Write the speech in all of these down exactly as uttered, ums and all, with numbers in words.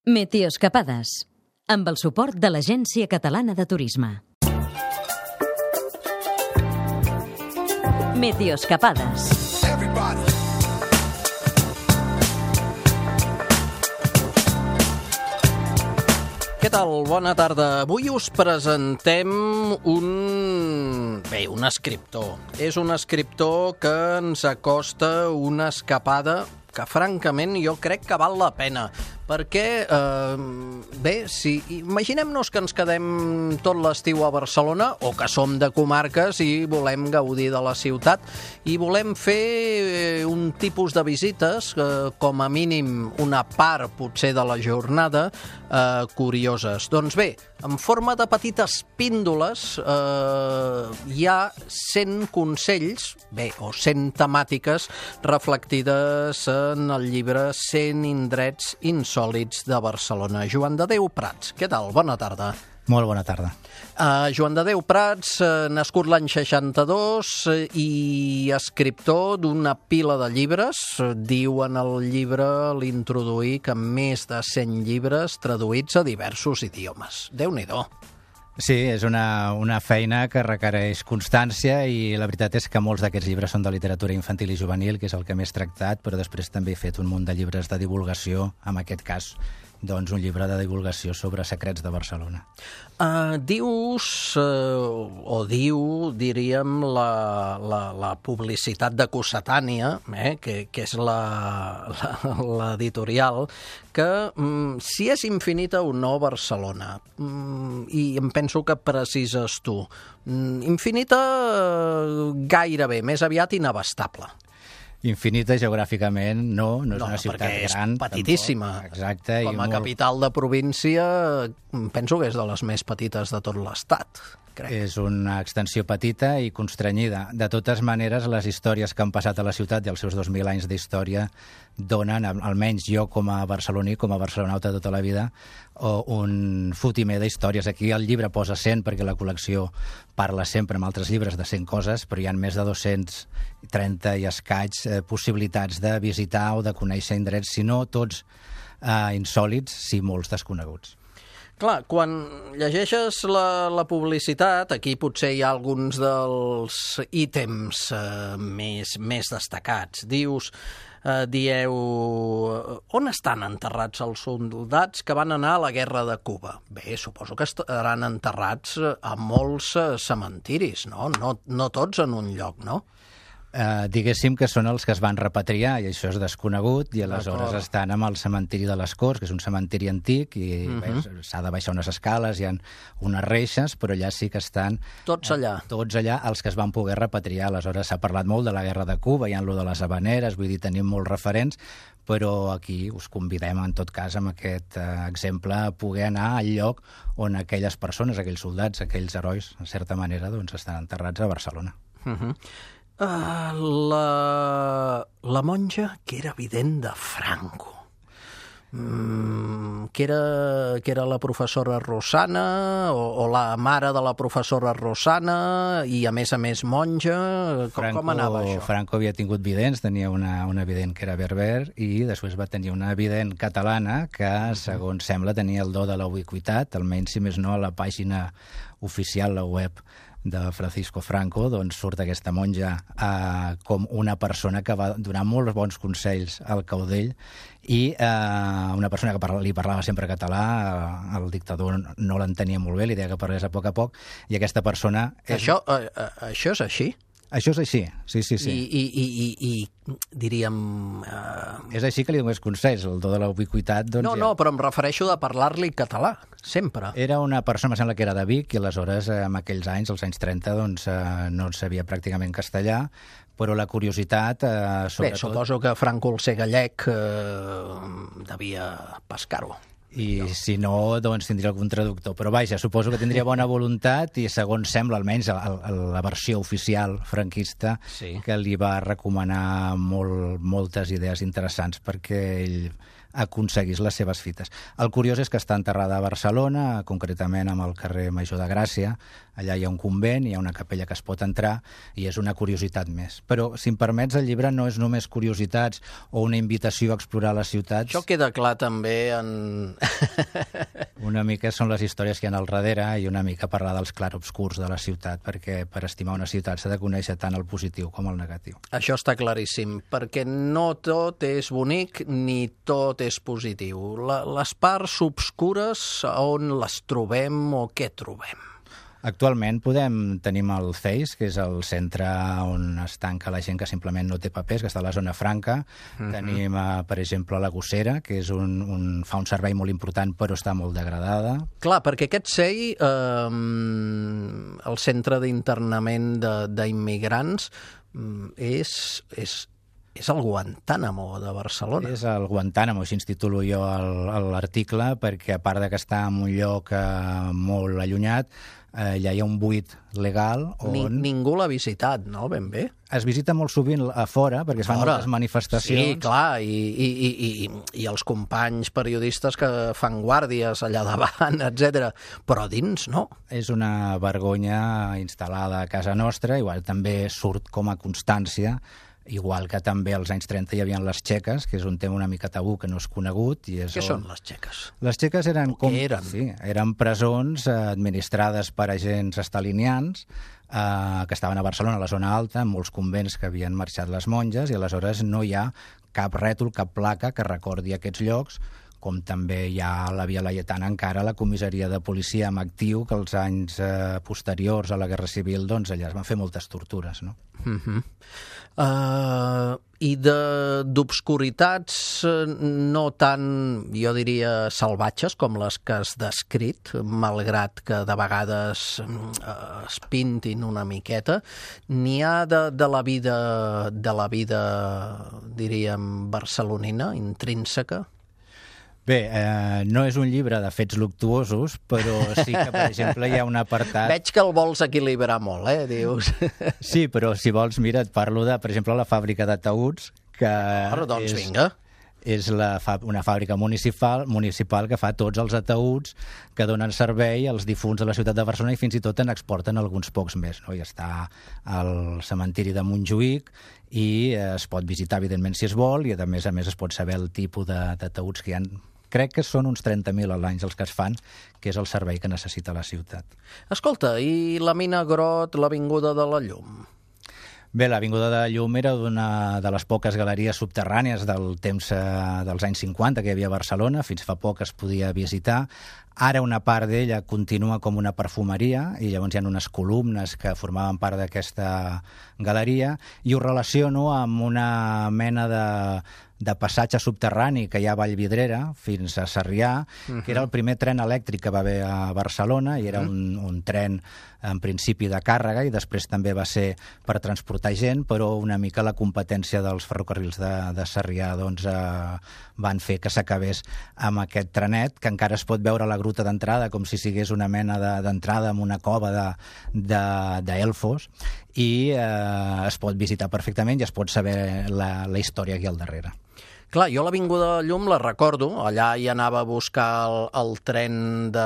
Meteoscapades, amb el suport de l'Agència Catalana de Turisme. Meteoscapades. Què tal? Bona tarda. Avui us presentem un... bé, un escriptor. És un escriptor que ens acosta una escapada que, francament, jo crec que val la pena. Perquè, eh, bé, si imaginem-nos que ens quedem tot l'estiu a Barcelona, o que som de comarques i volem gaudir de la ciutat, i volem fer un tipus de visites, eh, com a mínim una part, potser, de la jornada, eh, curioses. Doncs bé, en forma de petites píndoles, eh, hi ha cent consells, bé, o cent temàtiques reflectides en el llibre cent indrets insòlits de Barcelona. Joan de Déu Prats, què tal? Bona tarda. Molt bona tarda. Uh, Joan de Déu Prats, uh, nascut l'any seixanta-dos uh, i escriptor d'una pila de llibres. Uh, diu en el llibre, l'introduir, que més de cent llibres traduïts a diversos idiomes. Déu-n'hi-do. Sí, és una, una feina que requereix constància i la veritat és que molts d'aquests llibres són de literatura infantil i juvenil, que és el que més tractat, però després també he fet un munt de llibres de divulgació, en aquest cas, doncs un llibre de divulgació sobre secrets de Barcelona. Uh, dius, uh, o diu, diríem, la, la, la publicitat de Cossetània, eh, que, que és l'editorial, que um, si és infinita o no Barcelona, um, i em penso que precises tu, um, infinita uh, gairebé, més aviat inabastable. Infinita geogràficament, no, no és no, una ciutat perquè és gran. petitíssima. Tampoc. Exacte. Com a i molt... capital de província, penso que és de les més petites de tot l'estat, crec. És una extensió petita i constrenyida. De totes maneres, les històries que han passat a la ciutat i els seus dos mil anys d'història donen, almenys jo com a barceloní, com a barcelonauta tota la vida, un fotimer d'històries. Aquí el llibre posa cent perquè la col·lecció parla sempre amb altres llibres de cent coses, però hi ha més de dos-cents trenta i escaig eh, possibilitats de visitar o de conèixer indrets, si no tots eh, insòlits, si molts desconeguts. Clar, quan llegeixes la, la publicitat, aquí potser hi ha alguns dels ítems eh, més, més destacats. Dius, eh, dieu, on estan enterrats els soldats que van anar a la guerra de Cuba? Bé, suposo que estaran enterrats a molts cementiris, no? No, no tots en un lloc, no? Uh, diguéssim que són els que es van repatriar i això és desconegut i aleshores estan amb el cementiri de les Corts, que és un cementiri antic i uh -huh. s'ha de baixar unes escales, hi ha unes reixes, però allà sí que estan tots allà, eh, tots allà els que es van poder repatriar. Aleshores s'ha parlat molt de la guerra de Cuba, hi ha lo de les Havaneres, vull dir, tenim molts referents, però aquí us convidem en tot cas amb aquest eh, exemple a poder anar al lloc on aquelles persones, aquells soldats, aquells herois, en certa manera, doncs estan enterrats a Barcelona. Uh -huh. Uh, la, la monja que era vident de Franco, mm, que, era, que era la professora Rosana o, o la mare de la professora Rosana i a més a més monja, com, Franco, com anava això? Franco havia tingut vidents, tenia una, una vident que era berber i després va tenir una vident catalana que, segons sembla, tenia el do de la ubiquitat, almenys si més no a la pàgina oficial, la web de Francisco Franco, doncs surt aquesta monja eh, com una persona que va donar molts bons consells al caudell i eh, una persona que parla, li parlava sempre català, eh, el dictador no l'entenia molt bé, li deia que parlés a poc a poc, i aquesta persona... És... Això, eh, eh, això és així? Això és així, sí, sí, sí. I, i, i, i, i diríem... Uh... És així que li donés consells, el do de la ubiquitat... Doncs, no, ja... no, però em refereixo de parlar-li català, sempre. Era una persona, em sembla que era de Vic, i aleshores, en aquells anys, als anys trenta, doncs, eh, no sabia pràcticament castellà, però la curiositat... Eh, sobretot... Bé, suposo que Franco, el ser gallec, eh, devia pescar-ho. I si no, doncs tindria algun traductor. Però vaja, suposo que tindria bona voluntat i segons sembla, almenys a, a, a la versió oficial franquista, sí, que li va recomanar molt, moltes idees interessants perquè ell aconseguís les seves fites. El curiós és que està enterrada a Barcelona, concretament amb el carrer Major de Gràcia. Allà hi ha un convent, hi ha una capella que es pot entrar i és una curiositat més. Però, si em permets, el llibre no és només curiositats o una invitació a explorar les ciutats. Això queda clar també en... Una mica són les històries que hi ha al darrere i una mica parlar dels clarobscurs de la ciutat, perquè per estimar una ciutat s'ha de conèixer tant el positiu com el negatiu. Això està claríssim, perquè no tot és bonic ni tot és positiu. La, les parts obscures, on les trobem o què trobem? Actualment podem, tenim el C E I S, que és el centre on es tanca la gent que simplement no té papers, que està a la zona franca. Uh-huh. Tenim, uh, per exemple, la Gossera, que és un, un, fa un servei molt important però està molt degradada. Clar, perquè aquest C E I, eh, el centre d'internament d'immigrants, és... és És el Guantánamo de Barcelona. És el Guantánamo, així ens titulo jo l'article, perquè a part de que està en un lloc eh, molt allunyat, eh, allà hi ha un buit legal on... Ni, ningú l'ha visitat, no? Ben bé. Es visita molt sovint a fora, perquè es fan fora. moltes manifestacions. Sí, clar, i, i, i, i, i els companys periodistes que fan guàrdies allà davant, etcètera. Però dins, no. És una vergonya instal·lada a casa nostra, igual també surt com a constància, igual que també als anys trenta hi havia les txeques, que és un tema una mica tabú que no és conegut. I és Què on... són les txeques? Les txeques eren, com... eren? Sí, eren presons eh, administrades per agents estalinians eh, que estaven a Barcelona, a la zona alta, en molts convents que havien marxat les monges, i aleshores no hi ha cap rètol, cap placa que recordi aquests llocs, com també hi ha a la Via Laietana encara la comissaria de policia amb actiu, que els anys eh, posteriors a la Guerra Civil, doncs allà es van fer moltes tortures, no? Uh-huh. Uh, I d'obscuritats no tan, jo diria, salvatges com les que has descrit, malgrat que de vegades uh, es pintin una miqueta, n'hi ha de, de la vida, de la vida, diríem, barcelonina, intrínseca? Bé, eh, no és un llibre de fets luctuosos, però sí que, per exemple, hi ha un apartat... Veig que el vols equilibrar molt, eh, dius. Sí, però si vols, mira, et parlo de, per exemple, la fàbrica de taüts, que Ara, doncs, és, vinga. és la, una fàbrica municipal, municipal que fa tots els ataüts que donen servei als difunts de la ciutat de Barcelona i fins i tot en exporten alguns pocs més, no? I està al cementiri de Montjuïc i es pot visitar, evidentment, si es vol, i a més a més es pot saber el tipus de, de taüts que hi ha. Crec que són uns trenta mil a l'any els que es fan, que és el servei que necessita la ciutat. Escolta, i la Mina Grot, l'Avinguda de la Llum? Bé, l'Avinguda de la Llum era una de les poques galeries subterrànies del temps eh, dels anys cinquanta que hi havia a Barcelona, fins fa poc es podia visitar. Ara una part d'ella continua com una perfumeria i llavors hi ha unes columnes que formaven part d'aquesta galeria i ho relaciono amb una mena de, de passatge subterrani que hi ha a Vallvidrera fins a Sarrià, uh-huh. que era el primer tren elèctric que va haver a Barcelona i era uh-huh. un, un tren en principi de càrrega i després també va ser per transportar gent, però una mica la competència dels ferrocarrils de, de Sarrià doncs, eh, van fer que s'acabés amb aquest trenet, que encara es pot veure a la gruta d'entrada com si sigués una mena d'entrada de, en una cova d'Elfos de, de, i eh, es pot visitar perfectament i es pot saber la, la història aquí al darrere. Clar, jo l'Avinguda de la Llum la recordo, allà hi anava a buscar el, el tren de,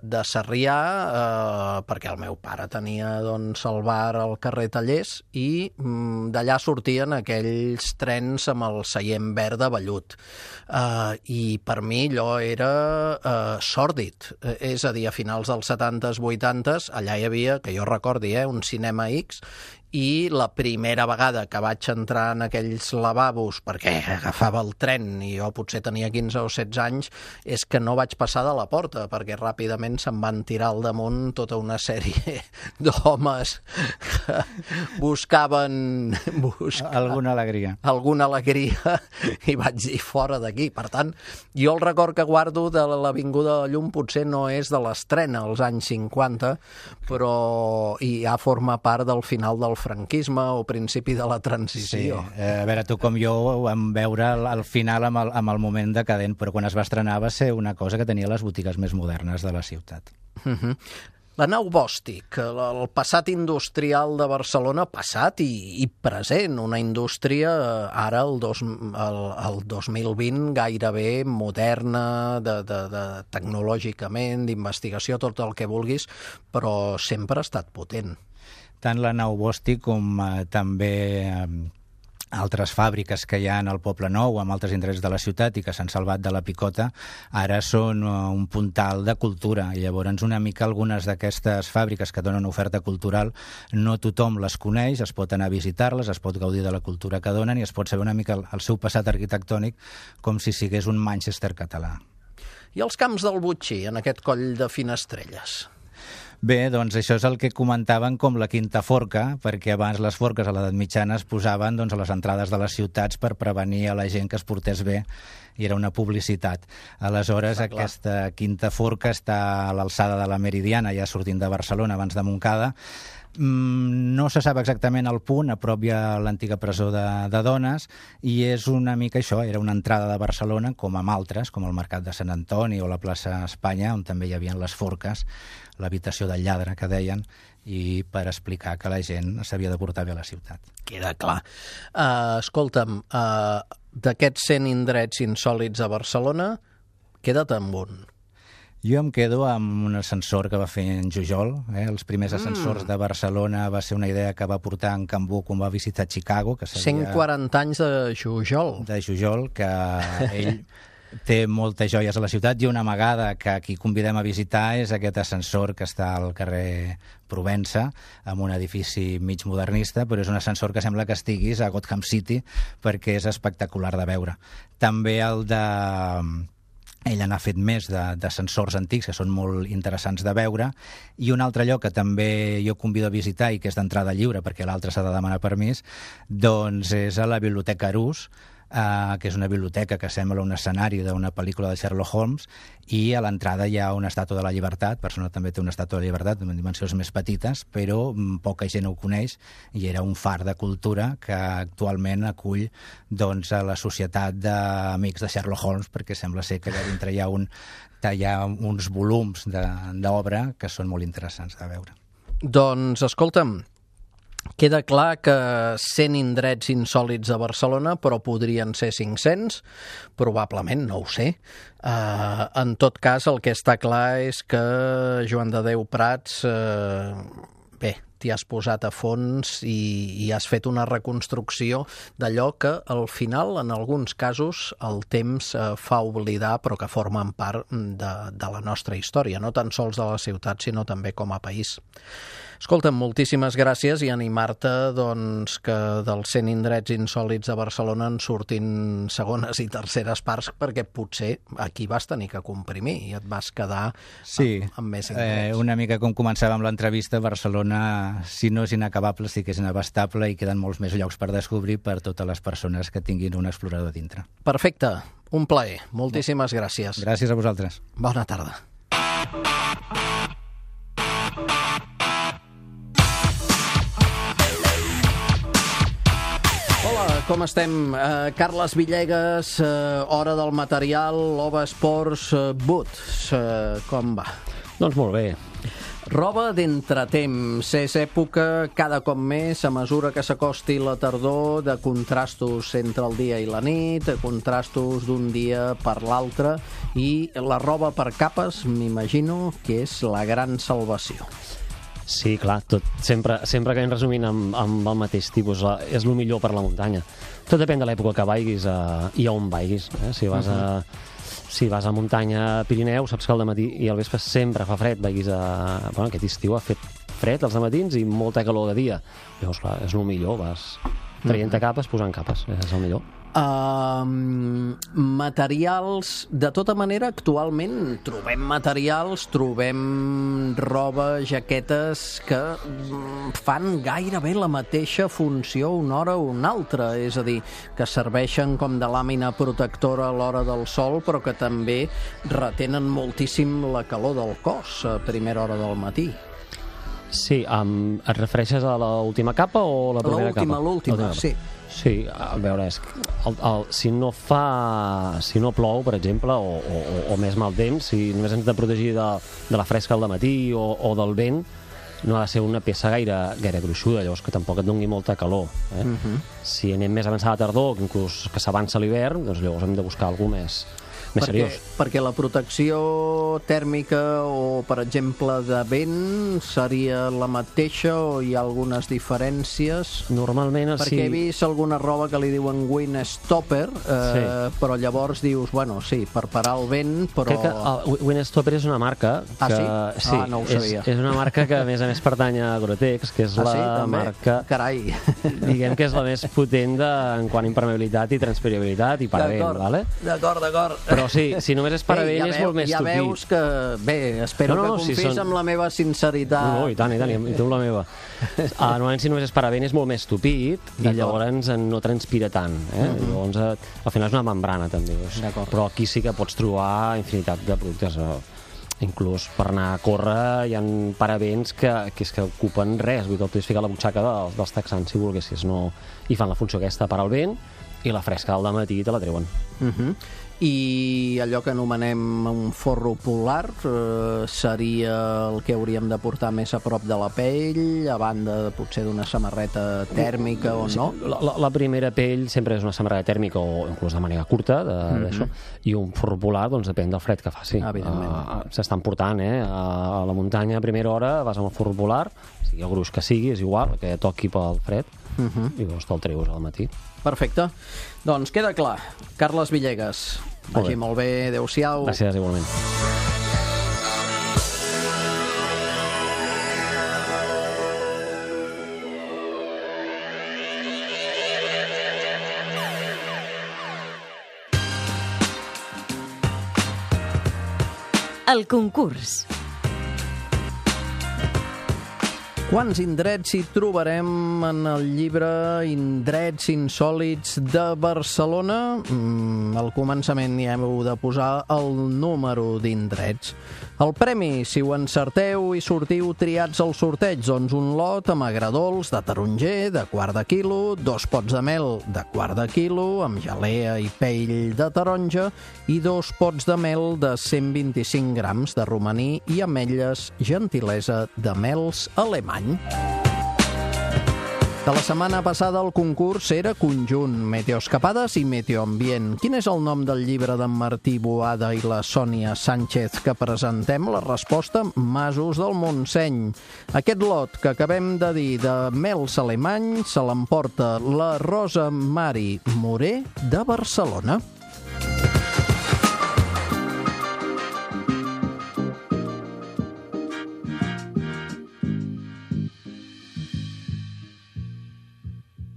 de Sarrià, eh, perquè el meu pare tenia doncs, el bar al carrer Tallers i mm, d'allà sortien aquells trens amb el seient verd de vellut. Eh, I per mi allò era eh, sòrdid, eh, és a dir, a finals dels setantes, vuitantes, allà hi havia, que jo recordi, eh, un Cinema X, i la primera vegada que vaig entrar en aquells lavabos, perquè agafava el tren i jo potser tenia quinze o setze anys, és que no vaig passar de la porta, perquè ràpidament se'm van tirar al damunt tota una sèrie d'homes que buscaven, buscaven alguna alegria. Alguna alegria i vaig dir fora d'aquí. Per tant, jo el record que guardo de l'Avinguda de la Llum potser no és de l'estrena als anys cinquanta, però i ja forma part del final del franquisme o principi de la transició. Sí, eh, a veure, tu com jo ho vam veure al, al final amb el, amb el moment decadent, però quan es va estrenar va ser una cosa que tenia les botigues més modernes de la ciutat. Uh-huh. La nau Bòstic, el passat industrial de Barcelona, passat i, i present, una indústria ara, el, dos, el, el dos mil vint, gairebé moderna, de, de, de, tecnològicament, d'investigació, tot el que vulguis, però sempre ha estat potent. Tant la nau Bòstic com eh, també... Eh, altres fàbriques que hi ha al Poble Nou, amb altres indrets de la ciutat i que s'han salvat de la picota, ara són un puntal de cultura. I llavors una mica algunes d'aquestes fàbriques que donen oferta cultural, no tothom les coneix, es pot anar a visitar-les, es pot gaudir de la cultura que donen i es pot saber una mica el seu passat arquitectònic com si sigués un Manchester català. I els camps del Botxí, en aquest coll de Finestrelles? Bé, doncs això és el que comentaven com la quinta forca, perquè abans les forques a l'edat mitjana es posaven doncs, a les entrades de les ciutats per prevenir a la gent que es portés bé, i era una publicitat. Aleshores, ah, aquesta quinta forca està a l'alçada de la Meridiana, ja sortint de Barcelona, abans de Montcada. No se sap exactament el punt, a prop hi ha l'antiga presó de, de dones, i és una mica això, era una entrada de Barcelona, com amb altres, com el Mercat de Sant Antoni o la plaça Espanya, on també hi havia les forques, l'habitació del lladre, que deien, i per explicar que la gent s'havia de portar bé a la ciutat. Queda clar. Uh, escolta'm, uh, d'aquests cent indrets insòlits a Barcelona, queda't amb un. Jo em quedo amb un ascensor que va fer en Jujol. Eh? Els primers ascensors mm. de Barcelona va ser una idea que va portar en Cambó quan va visitar Chicago. Que cent quaranta anys de Jujol. De Jujol, que ell té moltes joies a la ciutat, i una amagada que aquí convidem a visitar és aquest ascensor que està al carrer Provença, amb un edifici mig modernista, però és un ascensor que sembla que estiguis a Gotham City, perquè és espectacular de veure. També el de... Ell n'ha fet més d'ascensors antics que són molt interessants de veure, i un altre lloc que també jo convido a visitar i que és d'entrada lliure perquè l'altre s'ha de demanar permís, doncs és a la Biblioteca Arús, Uh, que és una biblioteca que sembla un escenari d'una pel·lícula de Sherlock Holmes, i a l'entrada hi ha una estàtua de la Llibertat. Barcelona també té una estàtua de la Llibertat amb dimensions més petites, però poca gent ho coneix, i era un far de cultura que actualment acull doncs, a la societat d'amics de Sherlock Holmes, perquè sembla ser que allà dintre hi ha, un, hi ha uns volums d'obra que són molt interessants de veure. Doncs, escolta'm, queda clar que cent indrets insòlits a Barcelona, però podrien ser cinc-cents, probablement, no ho sé. Uh, en tot cas, el que està clar és que Joan de Déu Prats, uh, bé, t'hi has posat a fons i, i has fet una reconstrucció d'allò que al final, en alguns casos, el temps uh, fa oblidar, però que formen part de, de la nostra història, no tan sols de la ciutat, sinó també com a país. Escolta'm, moltíssimes gràcies, i animar-te doncs, que dels cent indrets insòlits de Barcelona en surtin segones i terceres parts, perquè potser aquí vas tenir que comprimir i et vas quedar sí, amb, amb més indrets. Eh, una mica com començàvem l'entrevista, Barcelona, si no és inacabable, sí que és inabastable, i queden molts més llocs per descobrir per totes les persones que tinguin un explorador dintre. Perfecte, un plaer. Moltíssimes gràcies. Gràcies a vosaltres. Bona tarda. Com estem? Uh, Carles Villegas, uh, Hora del Material, Lova Esports, uh, Boots, uh, com va? Doncs molt bé. Roba d'entretemps, és època cada cop més, a mesura que s'acosti la tardor, de contrastos entre el dia i la nit, de contrastos d'un dia per l'altre, i la roba per capes, m'imagino que és la gran salvació. Sí, clar, tot, sempre, sempre que anem resumint amb, amb el mateix tipus, la, és el millor per la muntanya. Tot depèn de l'època que vagis a, i a on vagis. Eh? Si vas a, si vas a muntanya Pirineu, saps que al dematí i al vespre sempre fa fred. Vagis a... Bueno, aquest estiu ha fet fred als dematins i molta calor de dia. Llavors, clar, és el millor, vas traient capes, posant capes, és el millor. Uh, materials, de tota manera, actualment trobem materials, trobem roba, jaquetes que fan gairebé la mateixa funció una hora o una altra, és a dir, que serveixen com de làmina protectora a l'hora del sol, però que també retenen moltíssim la calor del cos a primera hora del matí. Sí, um, et refereixes a l'última capa o la primera l'última, capa? L'última, l'última, sí. Sí, a veure, és, el, el, si no fa... Si no plou, per exemple, o, o, o més mal temps, si només ens hem de protegir de, de la fresca al matí o, o del vent, no ha de ser una peça gaire, gaire gruixuda, llavors que tampoc et doni molta calor. Eh? Uh-huh. Si anem més avançada a tardor, que inclús que s'avança l'hivern, doncs llavors hem de buscar alguna més, més perquè, seriós. Perquè la protecció tèrmica o, per exemple, de vent seria la mateixa o hi ha algunes diferències? Normalment, perquè sí. he vist alguna roba que li diuen windstopper, eh, sí. però llavors dius, bueno, sí, per parar el vent, però... Crec que el windstopper és una marca que... Ah, sí? sí Ah, no ho sabia. És, és una marca que, a més a més, pertany a Gore-Tex, que és ah, la sí, també? marca... Carai! Diguem que és la més potent de, en quant a impermeabilitat i transpirabilitat i paravent, vale? D'acord, d'acord. Però sí, si només és paravent ja és veu, molt més ja tupit. Ja veus que... Bé, espero no, no, que si confis són... amb la meva sinceritat. No, no, i tant, i tant, i tu amb la meva. Uh, normalment, si només és paravent, és molt més tupit i llavors no transpira tant. Eh? Uh-huh. Llavors, uh, al final és una membrana, també. Però aquí sí que pots trobar infinitat de productes. Uh, inclús per anar a córrer hi ha paravents que, que, és que ocupen res. Vull dir, el pots ficar a la butxaca dels, dels texans, si volguessis. No... I fan la funció aquesta per al vent i la fresca al dematí te la treuen. Uh-huh. I allò que anomenem un forro polar eh, seria el que hauríem de portar més a prop de la pell, a banda potser d'una samarreta tèrmica o no? La, la, la primera pell sempre és una samarreta tèrmica o inclús de màniga curta, de, mm-hmm. d'això, i un forro polar doncs depèn del fred que faci. Uh, S'estan portant eh, a, a la muntanya a primera hora, vas amb el forro polar, sigui el gruix que sigui, és igual, que toqui pel fred, mm-hmm. i llavors te'l treus al matí. Perfecte. Doncs queda clar. Carles Villegas, vagi molt bé, adéu-siau. Gràcies, igualment. El concurs. Quants indrets hi trobarem en el llibre Indrets insòlits de Barcelona? Mm, al començament hi heu de posar el número d'indrets. El premi, si ho encerteu i sortiu triats al sorteig, doncs un lot amb agradols de taronger de quart de quilo, dos pots de mel de quart de quilo, amb gelea i pell de taronja, i dos pots de mel de cent vint-i-cinc grams de romaní i ametlles, gentilesa de mels alemany. De la setmana passada el concurs era conjunt Meteoscapades i Meteoambient. Quin és el nom del llibre d'en Martí Boada i la Sònia Sánchez que presentem? La resposta, Masos del Montseny. Aquest lot que acabem de dir de mels alemany se l'emporta la Rosa Mari Moré de Barcelona.